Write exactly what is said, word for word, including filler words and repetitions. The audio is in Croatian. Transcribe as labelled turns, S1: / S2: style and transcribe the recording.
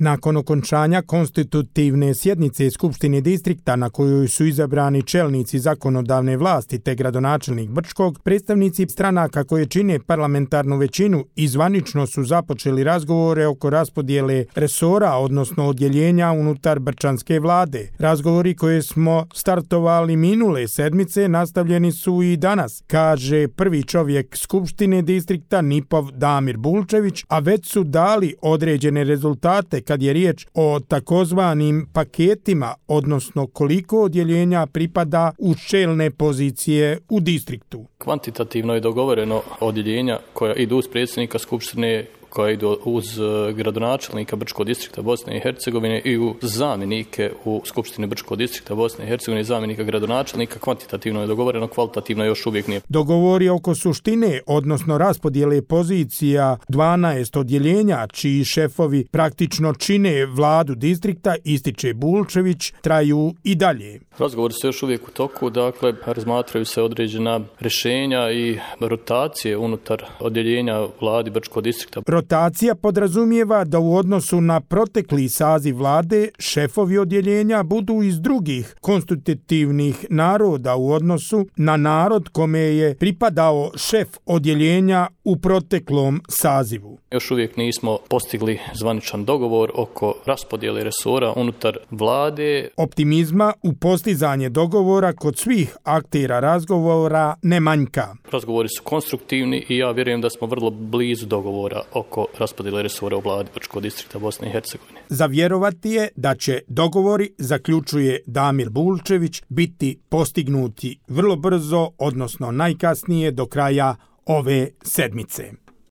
S1: Nakon okončanja konstitutivne sjednice Skupštine distrikta na kojoj su izabrani čelnici zakonodavne vlasti te gradonačelnik Brčkog, predstavnici stranaka koje čine parlamentarnu većinu i zvanično su započeli razgovore oko raspodjele resora, odnosno odjeljenja unutar brčanske vlade. Razgovori koje smo startovali minule sedmice nastavljeni su i danas, kaže prvi čovjek Skupštine distrikta Nipov Damir Bulčević, a već su dali određene rezultate kad je riječ o takozvanim paketima, odnosno koliko odjeljenja pripada u čelne pozicije u distriktu.
S2: Kvantitativno je dogovoreno odjeljenja koja idu uz predsjednika Skupštine, koja idu uz gradonačelnika Brčkog distrikta Bosne i Hercegovine i uz zamjenike u Skupštini Brčkog distrikta Bosne i Hercegovine i zamjenika gradonačelnika. Kvantitativno je dogovoreno, kvalitativno još uvijek nije.
S1: Dogovori oko suštine, odnosno raspodjele pozicija dvanaest odjeljenja, čiji šefovi praktično čine vladu distrikta, ističe Bulčević, traju i dalje.
S2: Razgovori su još uvijek u toku, dakle, razmatraju se određena rješenja i rotacije unutar odjeljenja vladi Brčkog distrikta.
S1: Rotacija podrazumijeva da u odnosu na protekli saziv vlade šefovi odjeljenja budu iz drugih konstitutivnih naroda u odnosu na narod kome je pripadao šef odjeljenja u proteklom sazivu.
S2: Još uvijek nismo postigli zvaničan dogovor oko raspodjele resora unutar vlade.
S1: Optimizma u postizanje dogovora kod svih aktera razgovora ne manjka.
S2: Razgovori su konstruktivni i ja vjerujem da smo vrlo blizu dogovora oko raspodjele resora u vladi Brčkog distrikta Bosne i Hercegovine.
S1: Za vjerovati je da će dogovori, zaključuje Damir Bulčević, biti postignuti vrlo brzo, odnosno najkasnije do kraja ove sedmice.